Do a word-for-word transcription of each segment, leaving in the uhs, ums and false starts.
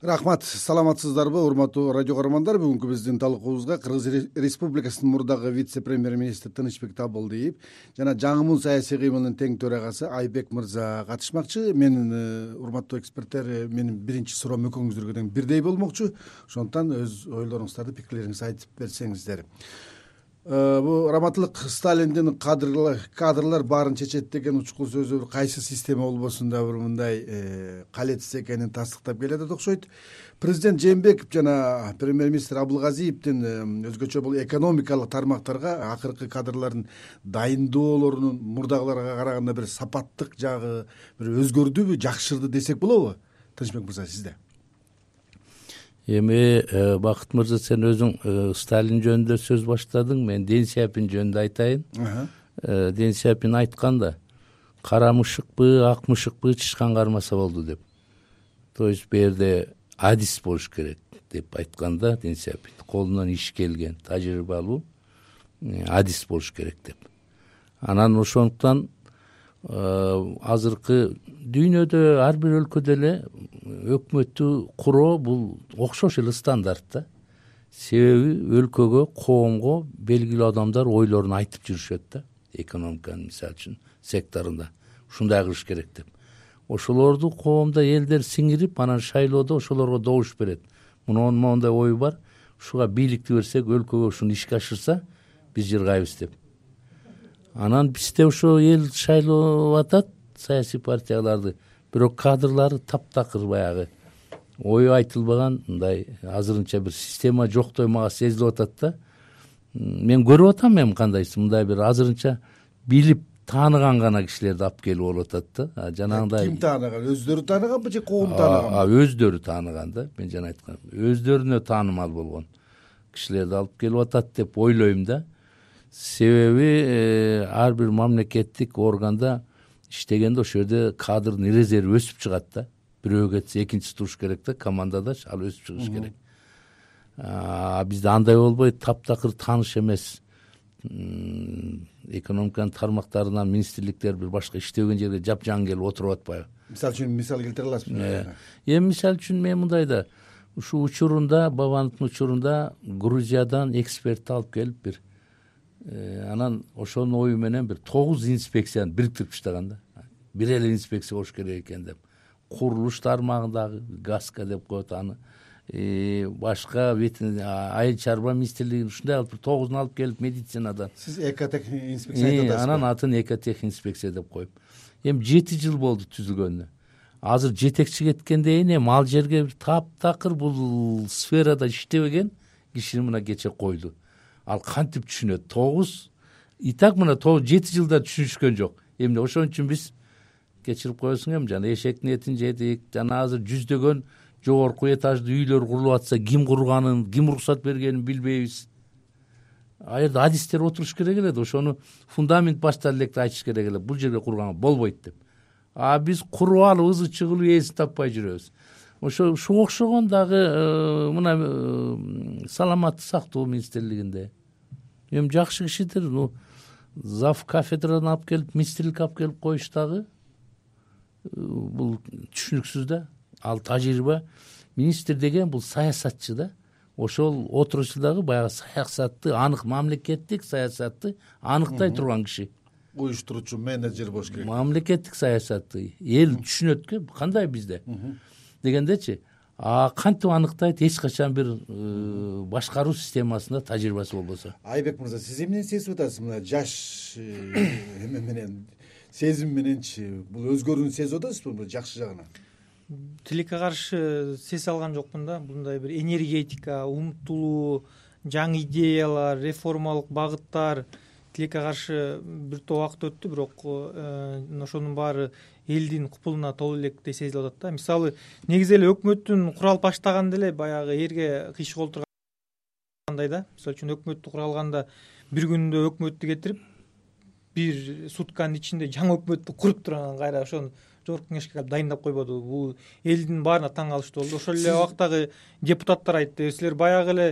Рахмат, саламатсыздарбы урматтуу радио көрөрмандар? Бүгүнкү биздин талкуубузга Кыргыз Республикасынын мурдагы вице-премьер-министри Тынычбек Табылдиев жана жаңымун саясий кыймылынын тең төрагасы Айбек мырза катышмакчы. Менин урматтуу эксперттер, менин биринчи суроом экөөңүздөргө тең бирдей болмокчу. Ошондуктан өз ойлоруңуздарды, пикирлериңизди айтып берсеңиздер. Бул раматтылык Сталиндин кадрлар кадрлар баарын чечет деген учкул сөзү кайсы система болбосун да бир мындай калетсиз экенин тастыктап келет окшойт. Президент Жээнбеков жана премьер-министр Абылгазиевдин өзгөчө бул экономикалык тармактарга акыркы кадрлардын дайындоолорунун мурдагыларга караганда бир сапаттык жагы бир өзгөрдүбү, жакшырды десек болобу? Тынычбек мырза, сизде. Эми Бакыт мырза, сен өзүң Сталин жөнүндө сөз баштадың, мен Дэн Сяопин жөнүндө айтайын. Дэн Сяопин айткан да, кара мышыкпы, ак мышыкпы тышкан кармаса болду деп. То есть бу жерде адис болуш керек деп айткан да Дэн Сяопин. Колунан иш келген, тажрыйбалуу адис болуш керек деп. Анан ошондуктан азыркы дүйнөдө ар бир өлкөдө эле өкмөттү куруу бул окшош эле стандарт да. Себеби өлкөгө, коомго белгилүү адамдар ойлорун айтып жүрүшөт да. Экономиканын мисалы үчүн секторунда ушундай кылыш керек деп. Ошолорду коомдо элдер сиңирип, анан шайлоодо ошолорго добуш берет. Мунун моундай ою бар, ушуга бийликти берсек, өлкөгө ушуну ишке ашырса, биз жыргайбыз деп. Анан бизде ошо эл шайлоо атат саясий партияларды, бирок кадрлары таптакыр баягы ою айтылбаган, мындай азырынча бир система жоктой мага сезилип атат да. Мен көрүп атам, эми кандайсы мындай бир азырынча билип тааныган гана кишилерди алып келип болуп атат да. Жанагындай ким тааныган? Өздөрү тааныганбы же коом тааныганбы? А өздөрү тааныган да. Мен жана айткам, өздөрүнө таанымал болгон кишилерди алып келип атат деп ойлойм да. Себеби ар бир мамлекеттик органда иштегенде ошол жерде кадрдын резерви өсүп чыгат да. Бирөө кетсе экинчиси туруш керек да, командада ал өсүп чыгыш керек. А бизде андай болбойт, таптакыр тааныш эмес экономиканын тармактарынан министрликтер бир башка иштеген жерге жапжаң келип отуруп атпайбы? Мисалы үчүн мисал келтире аласызбы? Эми мисалы үчүн мен мындай да, ушул учурунда, Бабановдун учурунда Грузиядан эксперт алып келип бир анан ошонун ою менен бир тогуз инспекцияны бириктирип таштаган да. Бир эле инспекция болуш керек экен деп. Курулуш тармагындагы ГАСКа деп коет аны. Башка айыл чарба министрлигин ушундай алып тогузун алып келип медицинадан. Сиз экотех инспекция айтып атасызбы? Анан атын экотех инспекция деп коюп. Эми жети жыл болду түзүлгөнүнө. Азыр жетекчи кеткенден кийин эми ал жерге бир таптакыр бул сферада иштебеген кишини мына кече койду. Ал кантип түшүнөт? Тогуз и так мына жети жылда түшүнүшкөн жок. Эмне ошон үчүн биз кечирип коесуң эми жана эшектин этин жедик. Жана азыр жүздөгөн жогорку этаждуу үйлөр курулуп атса, ким курганын, ким уруксат бергенин билбейбиз. А жерде адистер отуруш керек эле, ошону фундамент баштан электе айтыш керек эле. Бул жерге курганга болбойт деп. А биз куруп алып ызы чыгылып ээсин таппай жүрөбүз. Ошо ушуга окшогон дагы мына саламаттык сактоо министрлигинде эми жакшы кишидир. Ну зав кафедрадан алып келип, министрлик алып келип коюш дагы бул түшүнүксүз да. Ал тажрыйба, министр деген бул саясатчы да. Ошол отурuşu дагы баягы саясатты, анык мамлекеттик саясатты аныктай турган киши. Уюштуруучу менеджер болуш керек. Мамлекеттик саясатты эл түшүнөт, кандай бизде дегендечи. А кантип аныктайт? Эч качан бир башкаруу системасында тажрыйбасы болбосо. Айбек мырза, сиз эмнени сезип атасыз мына жаш эме менен, сезим мененчи? Бул өзгөрүүнү сезип атасызбы жакшы жагынан? Тилекке каршы сезе алган жокмун да. Мындай бир энергетика, умтулуу, жаңы идеялар, реформалык багыттар тилекке каршы бир топ убакыт өттү, бирок ошонун баары элдин купулуна толуу электе сезилип атат да. Мисалы, негизи эле өкмөттүн куралып баштаганда эле баягы эрге кыйшык олтургандай да. Мисалы үчүн өкмөттү куралганда бир күндө өкмөттү кетирип, бир сутканын ичинде жаңы өкмөттү куруп туруп анан кайра ошону жогорку кеңешке калып дайындап койбоду. Бул элдин баарына таң калыштуу болду. Ошол эле убактагы депутаттар айтты, силер баягы эле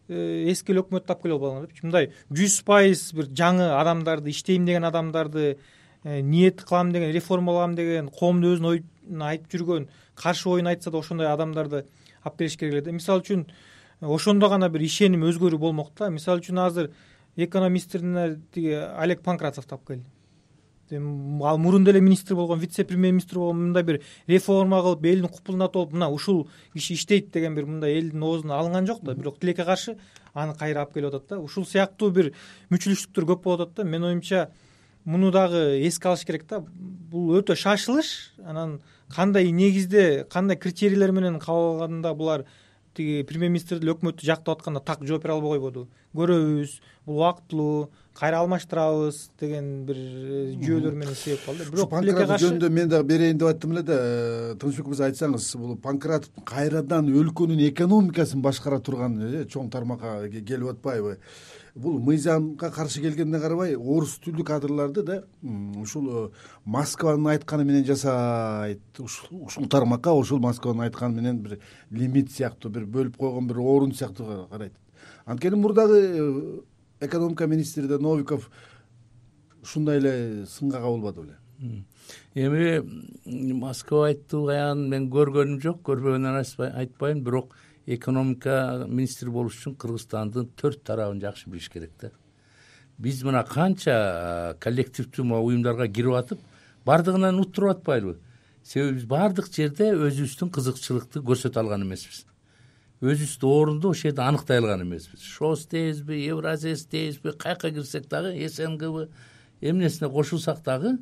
эски өкмөттү алып келип албадыңар депчи. Мындай жүз пайыз бир жаңы адамдарды, иштейм деген адамдарды ниет кылам деген, реформалам деген, коомду өзүнүн оюн айтып жүргөн, каршы оюн айтса да ошондой адамдарды алып келиш керек эле да. Мисалы үчүн ошондо гана бир ишеним өзгөрүү болмок да. Мисалы үчүн азыр экономисттердин тиги Олег Панкратовду алып келди. Ал мурун деле министр болгон, вице-премьер-министр болгон, мындай бир реформа кылып, элдин купулунда болуп, мына ушул киши иштейт деген бир мындай элдин оозуна алынган жок да. Бирок тилекке каршы аны кайра алып келип атат да. Ушул сыяктуу бир мүчүлүштүктөр көп болуп атат да. Менин оюмча муну дагы эске алыш керек да. Бул өтө шашылыш, анан кандай негизде, кандай критерийлер менен кабыл булар тиги премьер-министр деле өкмөттү жактап атканда так жооп бере албай койбоду. Көрөбүз, бул убактылуу, кайра алмаштырабыз деген бир жүйөлөр менен себеп кылды. Бирок Панкратов жөнүндө мен дагы берейин деп айттым эле да. Тынычбек мырза, айтсаңыз, бул Панкратов кайрадан өлкөнүн экономикасын башкара турган чоң тармакка келип атпайбы? Бул мыйзамга каршы келгенине карабай, орус тилдүү кадрларды да ушул Москванын айтканы менен жасайт. Ушул тармакка ошол Москванын айтканы менен бир лимит сыяктуу, бир бөлүп койгон бир орун сыяктуу карайт. Анткени мурдагы экономика министри да Новиков ушундай эле сынга кабылбады беле? Эми Москва айтты аян мен көргөнүм жок, көрбөгөндөн айтпайм, бирок экономика министри болуш үчүн Кыргызстандын төрт тарабын жакшы билиш керек да. Биз мына канча коллективдүү уюмдарга кирип атып, бардыгынан уттуруп атпайлыбы? Себеби биз бардык жерде өзүбүздүн кызыкчылыкты көрсөтө алган эмеспиз. Өзүбүздүн орунду ошол жерде аныктай алган эмеспиз. ШОС дейбизби, Евразес дейбизби, каяка кирсек дагы, СНГбы, эмнесине кошулсак дагы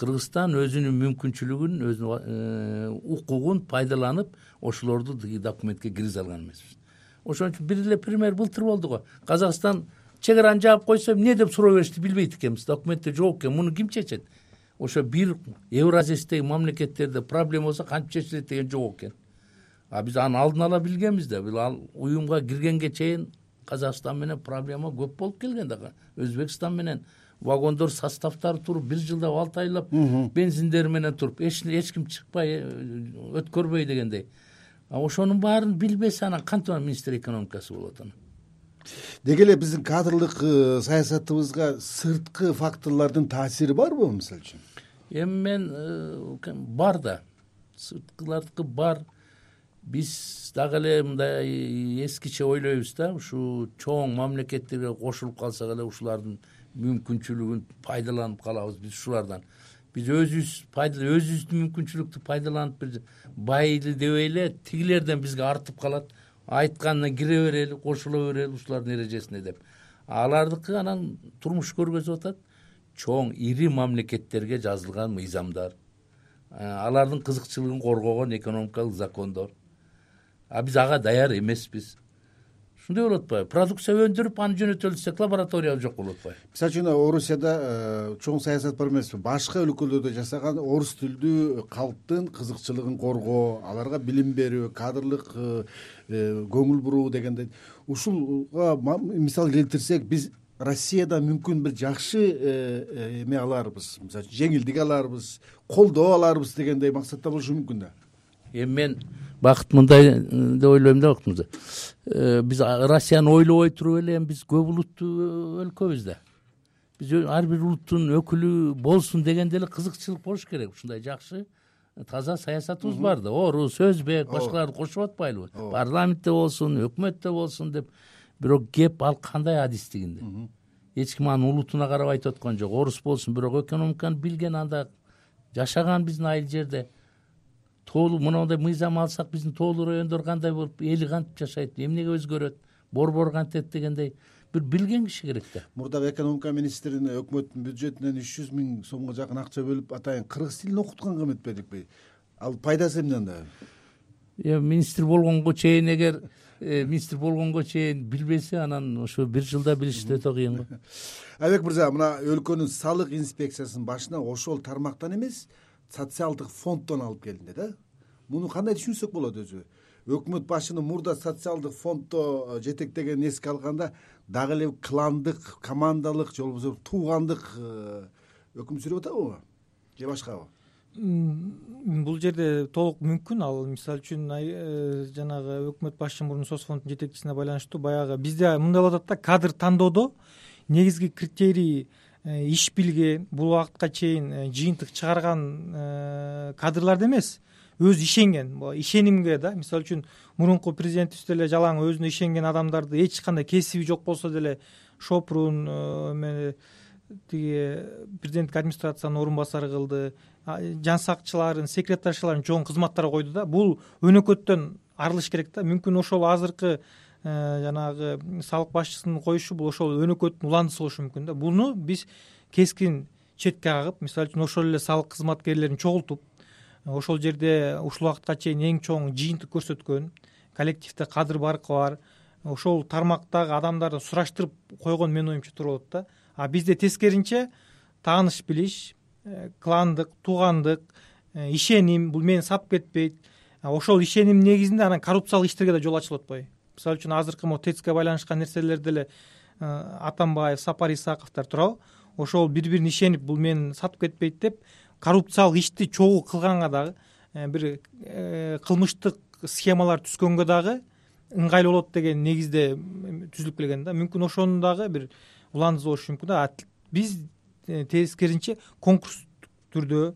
Кыргызстан өзүнүн мүмкүнчүлүгүн, өзүнүн укугун пайдаланып, ошолорду документке киргизе алган эмеспиз. Ошон үчүн бир эле пример былтыр болду го. Казакстан чек араны жаап койсо, эмне деп суроо беришти билбейт экенбиз. Документте жок экен. Муну ким чечет? Ошо бир Евразестеги мамлекеттерде проблема болсо кантип чечилет деген жок экен. А биз аны алдын ала билгенбиз да. Бул ал уюмга киргенге чейин Казакстан менен проблема көп болуп келген дагы. Өзбекстан менен вагондор составдары туруп, бир жылдап, алты айлап бензиндери менен туруп, эч эч ким чыкпай, өткөрбөй дегендей. А ошонун баарын билбесе, анан кантип министр экономикасы болот анан? Деги эле биздин кадрлык саясатыбызга сырткы факторлордун таасири барбы, мисалы үчүн? Эми мен бар да. Сырткылардыкы бар. Биз дагы эле мындай эскиче ойлойбуз да, ушу чоң мамлекеттерге кошулуп калсак эле ушулардын мүмкүнчүлүгүн пайдаланып калабыз биз ушулардан. Биз өзүбүз пайдаланып, өзүбүздүн мүмкүнчүлүктү пайдаланып бир байыды дебей эле тигилерден бизге артып калат. Айтканына кире берели, кошула берели ушулардын эрежесине деп. Алардыкы анан турмуш көргөзүп атат чоң ири мамлекеттерге жазылган мыйзамдар. Алардын кызыкчылыгын коргогон экономикалык закондор. А биз ага даяр эмеспиз. Ушундай болуп атпайбы? Продукция өндүрүп, аны жөнөтөлү десек, лаборатория жок болуп атпайбы? Мисалы үчүн Орусияда чоң саясат бар эмеспи? Башка өлкөлөрдө жасаган орус тилдүү калктын кызыкчылыгын коргоо, аларга билим берүү, кадрлык көңүл буруу дегендей. Ушулга мисал келтирсек, биз Россияда мүмкүн бир жакшы эме аларбыз, мисалы үчүн жеңилдик аларбыз, колдоо аларбыз дегендей максатта болушу мүмкүн да. Эми мен бакыт мындай деп ойлойм да, бактымызда. Биз Россияны ойлобой туруп эле биз көп улуттуу өлкөбүз да. Биз ар бир улуттун өкүлү болсун дегенде эле кызыкчылык болуш керек. Ушундай жакшы таза саясатыбыз бар да. Орус, өзбек, башкаларды кошуп атпайлыбы? Парламентте болсун, өкмөттө болсун деп. Бирок кеп ал кандай адистигинде. Эч ким анын улутуна карап айтып аткан жок. Орус болсун, бирок экономиканы билген, анда жашаган биздин айыл жерде. Тоолуу мындай мыйзам алсак, биздин тоолуу райондор кандай болуп, эли кантип жашайт, эмнеге өзгөрөт, борбор кантет дегендей бир билген киши керек да. Мурдагы экономика министрин өкмөттүн бюджетинен үч жүз миң сомго жакын акча бөлүп атайын кыргыз тилин окутканга эметпедикпи? Ал пайдасы эмне анда? Эми министр болгонго чейин эгер министр болгонго чейин билбесе, анан ошо бир жылда билиш өтө кыйын го. Айбек мырза, мына өлкөнүн салык инспекциясынын башына ошол тармактан эмес, социалдык фонддон алып келинди да. Муну кандай түшүнсөк болот өзү? Өкмөт башынын мурда социалдык фонддо жетектеген эске алганда дагы эле кландык, командалык же болбосо туугандык өкүм сүрүп атабы? Же башкабы? Бул жерде толук мүмкүн. Ал мисалы үчүн жанагы өкмөт башчы мурун соцфонддун жетекчисине байланыштуу баягы бизде мындай болуп атат да, кадр тандоодо негизги критерий иш билген, бул убакытка чейин жыйынтык чыгарган кадрларды эмес, өзү ишенген, ишенимге да. Мисалы үчүн мурунку президентибиз деле жалаң өзүнө ишенген адамдарды эч кандай кесиби жок болсо деле Шопрун эме тиги президенттик администрациянын орун басары кылды, жан сакчыларын, секретаршыларын чоң кызматтарга койду да. Бул өнөкөттөн арылыш керек да. Мүмкүн ошол азыркы жанагы салык башчысынын коюшу бул ошол өнөкөттүн уландысы болушу мүмкүн да. Буну биз кескин четке кагып, мисалы үчүн ошол эле салык кызматкерлерин чогултуп, ошол жерде ушул убакытка чейин эң чоң жыйынтык көрсөткөн коллективде кадыр баркы бар ошол тармактагы адамдарды сураштырып койгон менин оюмча туура болот да. А бизде тескеринче тааныш билиш, кландык, туугандык, ишеним, бул мени сатып кетпейт. Ошол ишеним негизинде анан коррупциялык иштерге да жол ачылып атпайбы? Мисалы үчүн азыркы могу тэцке байланышкан нерселерде эле Атамбаев, Сапар Исаковдор турабы? Ошол бири-бирин ишенип, бул мени сатып кетпейт деп коррупциялык ишти чогуу кылганга дагы, бир кылмыштык схемалар түзгөнгө дагы ыңгайлуу болот деген негизде түзүлүп келген да. Мүмкүн ошонун дагы бир уландысы болушу мүмкүн да. Биз тескеринче конкурс түрдө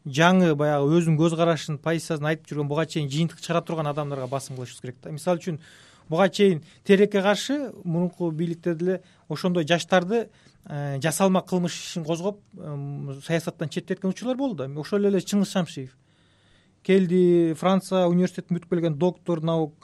жаңы баягы өзүнүн көз карашын, позициясын айтып жүргөн, буга чейин жыйынтык чыгара турган адамдарга басым кылышыбыз керек да. Мисалы үчүн буга чейин Тереке каршы мурунку бийликте деле ошондой жаштарды жасалма кылмыш ишин козгоп саясаттан четтеткен учурлар болду да. Ошол эле Чыңгыз Шамшиев келди, Франция университетин бүтүп келген доктор наук,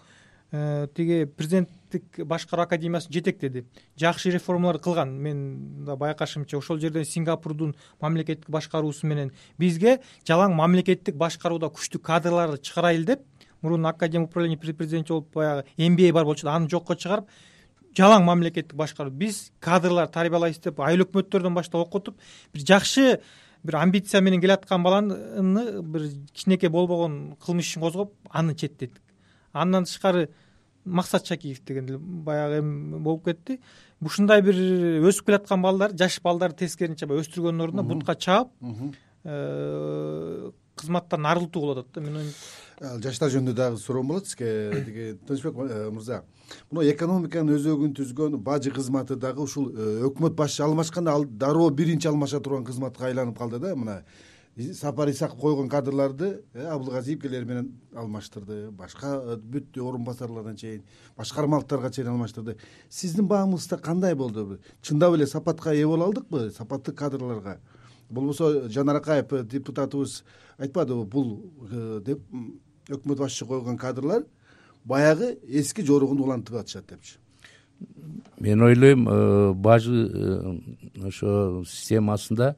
тиги президенттик башкаруу академиясын жетектеди, жакшы реформалар кылган. Мен да байкашымча ошол жерден Сингапурдун мамлекеттик башкаруусу менен бизге жалаң мамлекеттик башкарууда күчтүү кадрларды чыгарайлы деп, мурун академия управления при президенте болуп баягы эм би эй бар болчу, аны жокко чыгарып жалаң мамлекеттик башкаруу, биз кадрлар тарбиялайбыз деп айыл өкмөттөрдөн баштап окутуп, бир жакшы бир амбиция менен келаткан баланы бир кичинекей болбогон кылмыш ишин козгоп, аны четтеттик. Андан тышкары Максат Шакиев деген деле баягы эми болуп кетти. Ушундай бир өсүп келаткан балдар, жаш балдарды тескеринче баягы өстүргөндүн ордуна бутка чаап, кызматтан арылтуу болуп атат да. Мен жаштар жөнүндө дагы суроом болот сизге. Тиги Тынычбек мырза, мына экономиканын өзөгүн түзгөн бажы кызматы дагы ушул өкмөт башчы алмашканда ал дароо биринчи алмаша турган кызматка айланып калды да. Мына Сапар Исаков койгон кадрларды Абылгазиевкелер менен алмаштырды, башка бүт орун басарлардан чейин, башкармалыктарга чейин алмаштырды. Сиздин баамыңызда кандай болду? Чындап эле сапатка ээ боло алдыкпы, сапаттуу кадрларга? Болбосо Жанар Акаев депутатыбыз айтпадыбы, бул деп өкмөт башчы койгон кадрлар баягы эски жоругун улантып атышат депчи. Мен ойлойм, бажы ошо системасында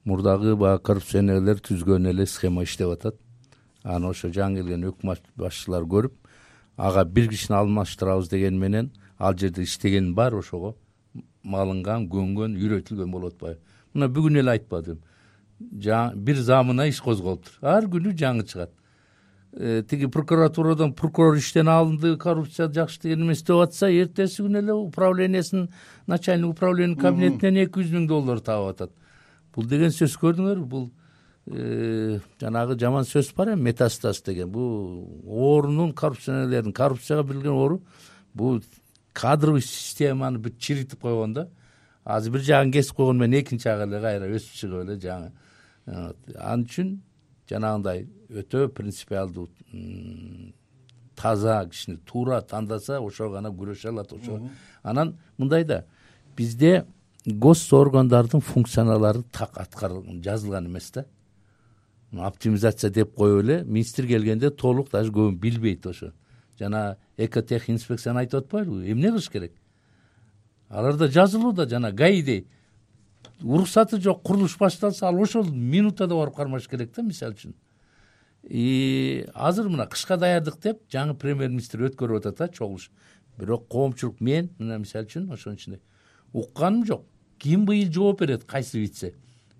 мурдагы баягы коррупционерлер түзгөн эле схема иштеп атат. Аны ошо жаңы келген өкмөт башчылар көрүп, ага бир кишини алмаштырабыз деген менен ал жерде иштеген бар ошого малынган, көнгөн, үйрөтүлгөн болуп атпайбы? Мына бүгүн эле айтпадым. Бир замына иш козголуптур. Ар күнү жаңы чыгат. Тиги прокуратурадан прокурор иштен алынды, коррупция жакшы деген эмес деп атса, эртеси күнү эле управлениясынын начальник управление кабинетинен эки жүз миң доллар таап атат. Бул деген сөз көрдүңөрбү? Бул жанагы жаман сөз бар эми, метастаз деген. Бул оорунун, коррупционерлердин коррупцияга берилген оору, бул кадровый системаны бүт чиритип койгон да. Азыр бир жагын кесип койгон менен экинчи жагы эле кайра өсүп чыгып эле жаңы. Ал үчүн жанагындай өтө принципиалдуу, таза кишини туура тандаса, ошого гана күрөшө алат. Ошо анан мындай да, бизде гос органдардын функциялары так аткарылган, жазылган эмес да. Оптимизация деп коюп эле министр келгенде толук даже көбүн билбейт ошо. Жана экотех инспекцияны айтып атпайбы? Эмне кылыш керек? Аларда жазылууда, жана гаидей уруксаты жок, курулуш башталса, ал ошол минутада барып кармаш керек да, мисалы үчүн. И азыр мына кышка даярдык деп жаңы премьер-министр өткөрүп атат да, чогулуш. Бирок коомчулук мен мына мисалы үчүн ошонун ичинде укканым жок. Ким быйыл жооп берет, кайсы вице?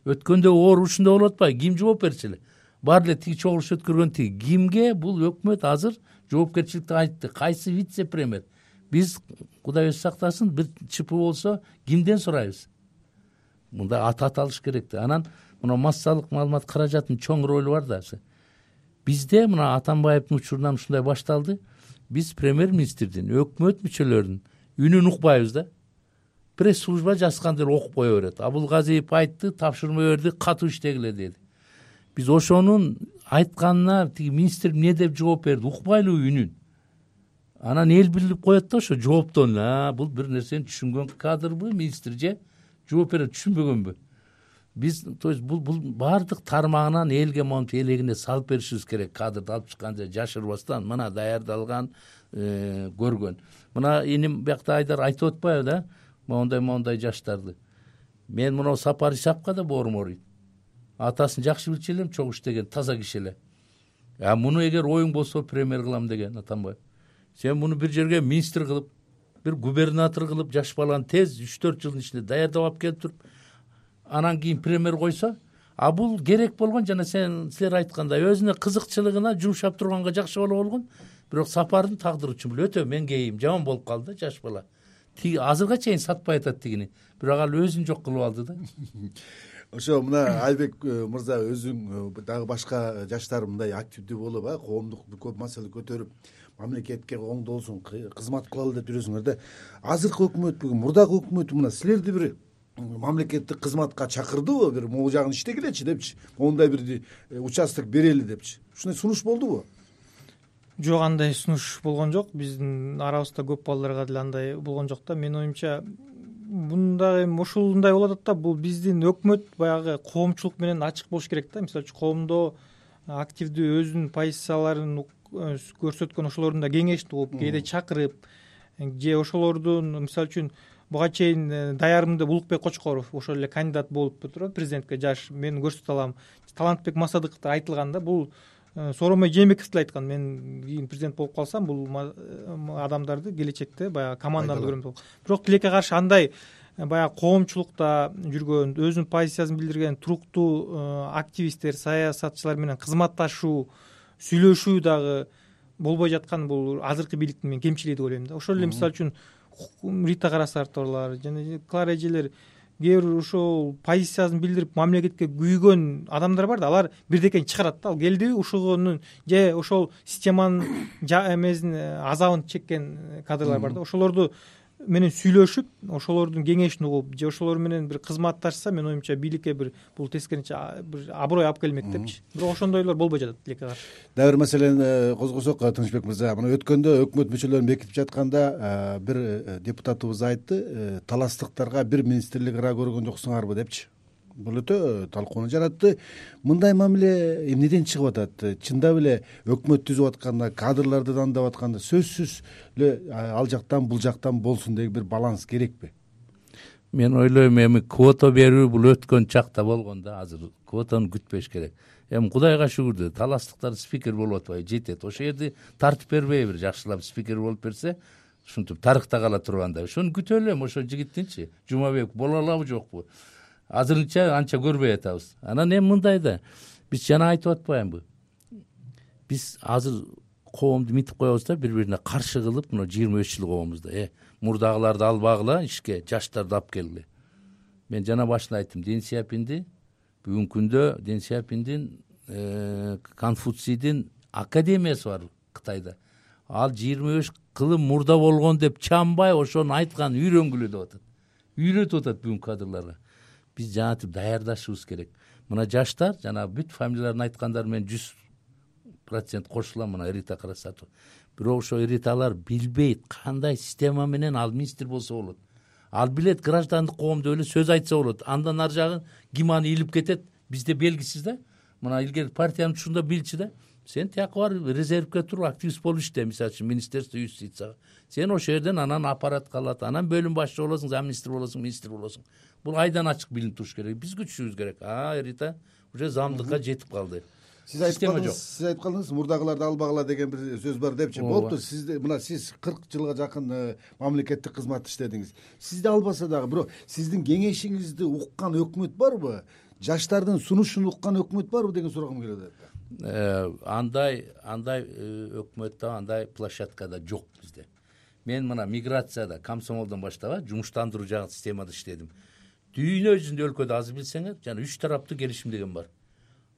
Өткөндө оор ушундай болуп атпайбы? Ким жооп берчү эле? Баары эле тиги чогулуш өткөргөн тиги. Кимге бул өкмөт азыр жоопкерчиликти айтты? Кайсы вице-премьер? Биз Кудай өзү сактасын, бир чп болсо кимден сурайбыз? Мында ат аталыш керек да. Анан мына массалык маалымат каражатынын чоң ролу бар да. Бизде мына Атамбаевдин учурунан ушундай башталды. Биз премьер-министрдин, өкмөт мүчөлөрүнүн үнүн укпайбыз да. пресс служба жазгандыр окуп кое берет. Абулгазиев айтты, тапшырма берди, катуу иштегиле деди. Биз ошонун айтканына тиги министр эмне деп жооп берди, укпайлыбы үнүн. Анан эл билип коет да ошо жооптон, а бул бир нерсени түшүнгөн кадрбы министр же жооп берет түшүнбөгөнбү. Биз то есть бул бул баардык тармагынан элге монтип элегине салып беришибиз керек. Кадрды алып чыккан же жашырбастан мына даярдалган, көргөн. Мына иним биякта Айдар айтып атпайбы да, моундай моундай жаштарды. Мен мына Сапар Исаковго да боорум ооруйт. Атасын жакшы билчү элем, чогуу иштеген, таза киши эле. А муну эгер оюң болсо премьер кылам деген Атамбаев. Сен муну бир жерге министр кылып, бир губернатор кылып, жаш баланы тез үч төрт жылдын ичинде даярдап алып келип туруп, анан кийин премьер койсо, а бул керек болгон, жана сен силер айткандай өзүнө кызыкчылыгына жумшап турганга жакшы боло болгон. Бирок Сапардын тагдыры үчүн өтө мен кейим жаман болуп калды да жаш бала. Тиги азырга чейин сатпай атат тигини. Бирок ал өзүн жок кылып алды да. Ошо мына Айбек мырза өзүң дагы башка жаштар мындай активдүү болуп, а коомдук көп маселе көтөрүп, мамлекетке оңдолсун, кызмат кылалы деп жүрөсүңөр да. Азыркы өкмөт бүгүн мурдагы өкмөт мына силерди бир мамлекеттик кызматка чакырдыбы, бир могу жагын иштегилечи депчи, мондай бир участок берели депчи. Ушундай сунуш болдубу? Жок, андай сунуш болгон жок. Биздин арабызда көп балдарга деле андай болгон жок да. Менин оюмча мындай эми ушундай болуп атат да, бул биздин өкмөт баягы коомчулук менен ачык болуш керек да. Мисалы үчүн коомдо активдүү өзүнүн позицияларын көрсөткөн ошолордун да кеңешин угуп, кээде чакырып, же ошолордун мисалы үчүн буга чейин даярымда Улукбек Кочкоров ошол эле кандидат болуп туруп президентке жаш мен көрсөтө алам. Талантбек Масадыковдор айтылган да, бул Сооронбай Жээнбеков деле айткан, мен кийин президент болуп калсам бул адамдарды келечекте баягы командамды көрөм деп. Бирок тилекке каршы андай баягы коомчулукта жүргөн, өзүнүн позициясын билдирген туруктуу активисттер, саясатчылар менен кызматташуу, сүйлөшүү дагы болбой жаткан бул азыркы бийликтин мен кемчилиги деп ойлойм да. Ошол эле мисалы үчүн Рита Карасартовалар жана Клара эжелер кээ бир ошол позициясын билдирип мамлекетке күйгөн адамдар бар да, алар бирдекени чыгарат да. Ал келдиби ушугунун же ошол системанын эмесин азабын чеккен кадрлар бар да. Ошолорду менен сүйлөшүп, ошолордун кеңешин угуп, же ошолор менен бир кызматташса, менин оюмча бийликке бир бул тескерисинче бир аброй алып келмек депчи. Бирок ошондойлор болбой жатат тилекке каршы. Дагы бир маселени козгосок, Тынычбек мырза, мына өткөндө өкмөт мүчөлөрүн бекитип жатканда бир депутатыбыз айтты, таластыктарга бир министрлик ыраа көргөн жоксуңарбы депчи. Бул өтө талкууну жаратты. Мындай мамиле эмнеден чыгып атат? Чындап эле өкмөт түзүп атканда, кадрларды дандап атканда сөзсүз эле ал жактан бул жактан болсун деген бир баланс керекпи? Мен ойлойм, эми квота берүү бул өткөн чакта болгон да, азыр квотаны күтпөш керек. Эми Кудайга шүгүр, таластыктар спикер болуп атпайбы, жетет. Ошол жерде тартып бербейбир, жакшылап спикер болуп берсе, ушинтип тарыхта кала тургандай. Ошону күтө элем, ошо жигиттинчи. Жумабек боло алабы жокпу? Азырынча анча көрбөй атабыз. Анан эми мындай да, биз жана айтып атпаймынбы? Биз азыр коомду митип коебуз да, бири-бирине каршы кылып, мына жыйырма беш жыл коомузда, э, мурдагыларды албагыла ишке, жаштарды алып келгиле. Мен жана башында айттым, Дэн Сяопинди бүгүнкү күндө Дэн Сяопиндин Конфуцийдин академиясы бар Кытайда. Ал жыйырма беш кылым мурда болгон деп чамбай ошону айткан үйрөнгүлө деп атат. Үйрөтүп атат бүгүнкү кадрларга. Биз жанатып даярдашыбыз керек. Мына жаштар, жана бүт фамилияларын айткандар мен жүз процент кошулам, мына Рита Карасартова. Бирок ошо Риталар билбейт кандай система менен ал министр болсо болот. Ал билет граждандык коомдо эле сөз айтса болот. Андан ар жагын ким аны илип кетет, бизде белгисиз да. Мына илгери партиянын тушунда билчи да. Сен тияка бар резервге туруп активист болуп иште, мисалы үчүн министерство юстицияга. Сен ошол жерден анан аппарат калат, анан бөлүм башчы болосуң, замминистр болосуң, министр болосуң. Бул айдан ачык билинип туруш керек. Биз күтүшүбүз керек. А, Рита уже замдыкка жетип калды. Сиз айтып калдыңыз, сиз айтып калдыңыз, мурдагыларды албагыла деген бир сөз бар депчи. Болду, сиз мына сиз кырк жылга жакын мамлекеттик кызмат иштедиңиз. Сизди албаса дагы, бирок сиздин кеңешиңизди уккан өкмөт барбы? Жаштардын сунушун уккан өкмөт барбы деген сурагым келет. Андай андай өкмөттө андай площадка да жок бизде. Мен мына миграцияда, комсомолдон баштап, жумуштандыруу жагы системада иштедим. Дүйнө жүзүндө өлкөдө азыр билсеңер, жана үч тараптуу келишим деген бар.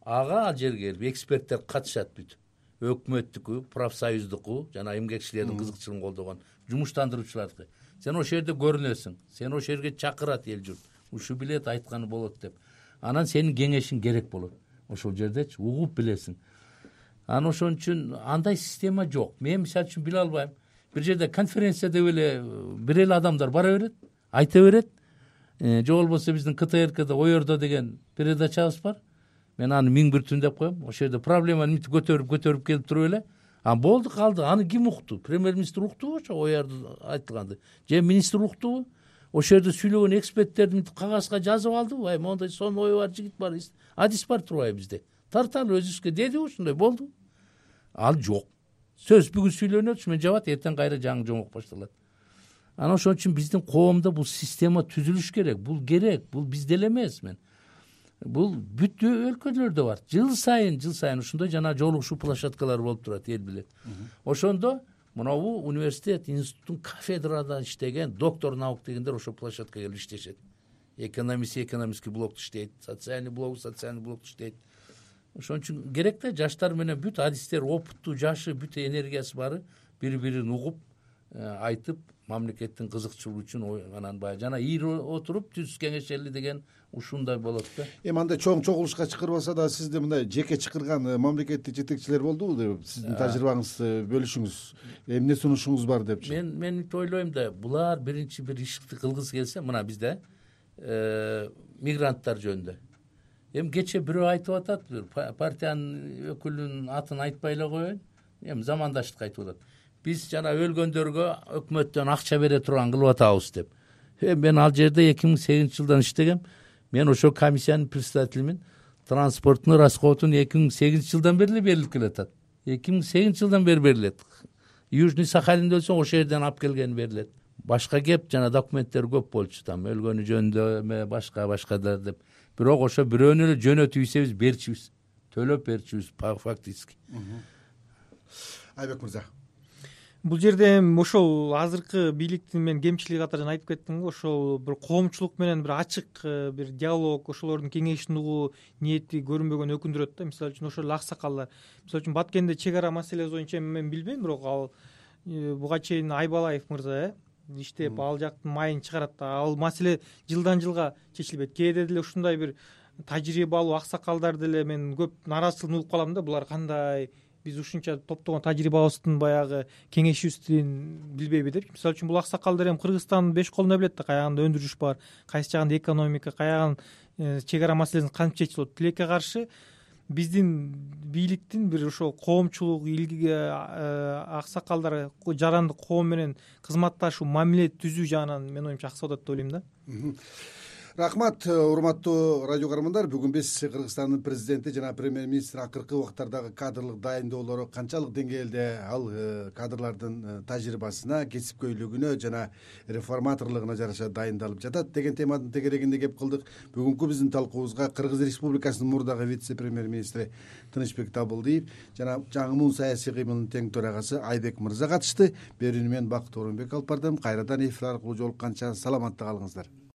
Ага ал жерге келип эксперттер катышат бүт. өкмөттүкү, профсоюздуку жана эмгекчилердин кызыкчылыгын колдогон жумуштандыруучулардыкы. Сен ошол жерде көрүнөсүң, сени ошол жерге чакырат эл журт. Ушу билет, айтканы болот деп. Анан сенин кеңешиң керек болот. Ошол жердечи угуп билесиң. Анан ошон үчүн андай система жок. Мен мисалы үчүн биле албайм. Бир жерде конференция деп эле бир эле адамдар бара берет, айта берет. Же болбосо биздин К Т Р Кда Оердо деген передачабыз бар. Мен аны миң бир түн деп коем. Ошол жерде проблеманы мынтип көтөрүп көтөрүп келип туруп эле. А болду калды. Аны ким укту? Премьер-министр уктубу ошо Оердо айтылганды? Же министр уктубу? Ошол жерде сүйлөгөн эксперттерди мынтип кагазга жазып алдыбы? Ай, мондай сонун ою бар жигит бар, адис бар турбайбы бизде? Тарталы өзүбүзгө дедиби ушундай болду? Ал жок. Сөз бүгүн сүйлөнөт, мен жабат, эртең кайра жаңы жомок башталат. Анан ошон үчүн биздин коомдо бул система түзүлүш керек. Бул керек. Бул бизде эле эмес мен. Бул бүт өлкөлөрдө бар. Жыл сайын, жыл сайын ушундай жана жолугушуу площадкалары болуп турат, эл билет. Ошондо мынабу университет, институттун кафедрада иштеген доктор наук дегендер ошол площадкага келип иштешет. Экономист экономистский блокто иштейт, социальный блок социальный блокто иштейт. Ошон үчүн керек да жаштар менен бүт адистер, опыттуу, жашы, бүт энергиясы бары бири-бирин угуп, айтып, мамлекеттин кызыкчылыгы үчүн анан баягы жана ийри отуруп түз кеңешели деген ушундай болот да. Эми андай чоң чогулушка чакырбаса да сизде мындай жеке чакырган мамлекеттик жетекчилер болдубу деп сиздин тажрыйбаңызды бөлүшүңүз, эмне сунушуңуз бар депчи. Мен мен мынтип ойлойм да, булар биринчи бир ишти кылгысы келсе, мына бизде мигранттар жөнүндө. Эми кече бирөө айтып атат, бир партиянын өкүлүнүн атын айтпай эле коеюн. Эми замандаштык айтып атат. Биз жана өлгөндөргө өкмөттөн акча бере турган кылып атабыз деп. Эми мен ал жерде эки миң сегизинчи жылдан иштегем. Мен ошол комиссиянын председателимин. Транспорттун расходун эки миң сегизинчи жылдан бери эле берилип келатат. эки миң сегизинчи жылдан бери берилет. Южный Сахалинде өлсөң ошол жерден алып келген берилет. Башка кеп жана документтер көп болчу, там өлгөнү жөнүндө эме башка башкадар деп. Бирок ошо бирөөнү эле жөнөтүп ийсебиз берчүбүз. Төлөп берчүбүз фактически. Айбек мырза. Бул жерде ошол азыркы бийликтин мен кемчилиги катары жана айтып кеттим го, ошол бир коомчулук менен бир ачык бир диалог, ошолордун кеңешин угуу ниети көрүнбөгөн өкүндүрөт да. Мисалы үчүн ошол аксакалдар, мисалы үчүн Баткенде чек ара маселеси боюнча мен билбейм, бирок ал буга чейин Айбалаев мырза э иштеп ал жактын майын чыгарат да. Ал маселе жылдан жылга чечилбейт. Кээде деле ушундай бир тажрыйбалуу аксакалдар деле мен көп нааразычылыгын угуп калам да. Булар кандай биз ушунча топтогон тажрыйбабыздын баягы кеңешибиздин билбейби деп. Мисалы үчүн бул аксакалдар эми Кыргызстандын беш колуна билет да, каягында өндүрүш бар, кайсы жагында экономика, каягын чек ара маселесин кантип чечип болот. Тилекке каршы биздин бийликтин бир ошол коомчулук илги аксакалдар жарандык коом менен кызматташуу, мамиле түзүү жагынан мен оюмча акса болот деп ойлойм да. Рахмат, урматтуу радио көрөрмандар. Бүгүн биз Кыргызстандын президенти жана премьер-министр акыркы убактардагы кадрлык дайындоолору канчалык деңгээлде ал кадрлардын тажрыйбасына, кесипкөйлүгүнө жана реформаторлугуна жараша дайындалып жатат деген теманын тегерегинде кеп кылдык. Бүгүнкү биздин талкуубузга Кыргыз Республикасынын мурдагы вице-премьер-министри Тынычбек Табылдиев жана жаңы саясий кыймылдын тең төрагасы Айбек мырза катышты. Берүүнү мен Бакыт Орунбек алып бардым. Кайрадан эфир аркылуу жолукканча саламатта калыңыздар.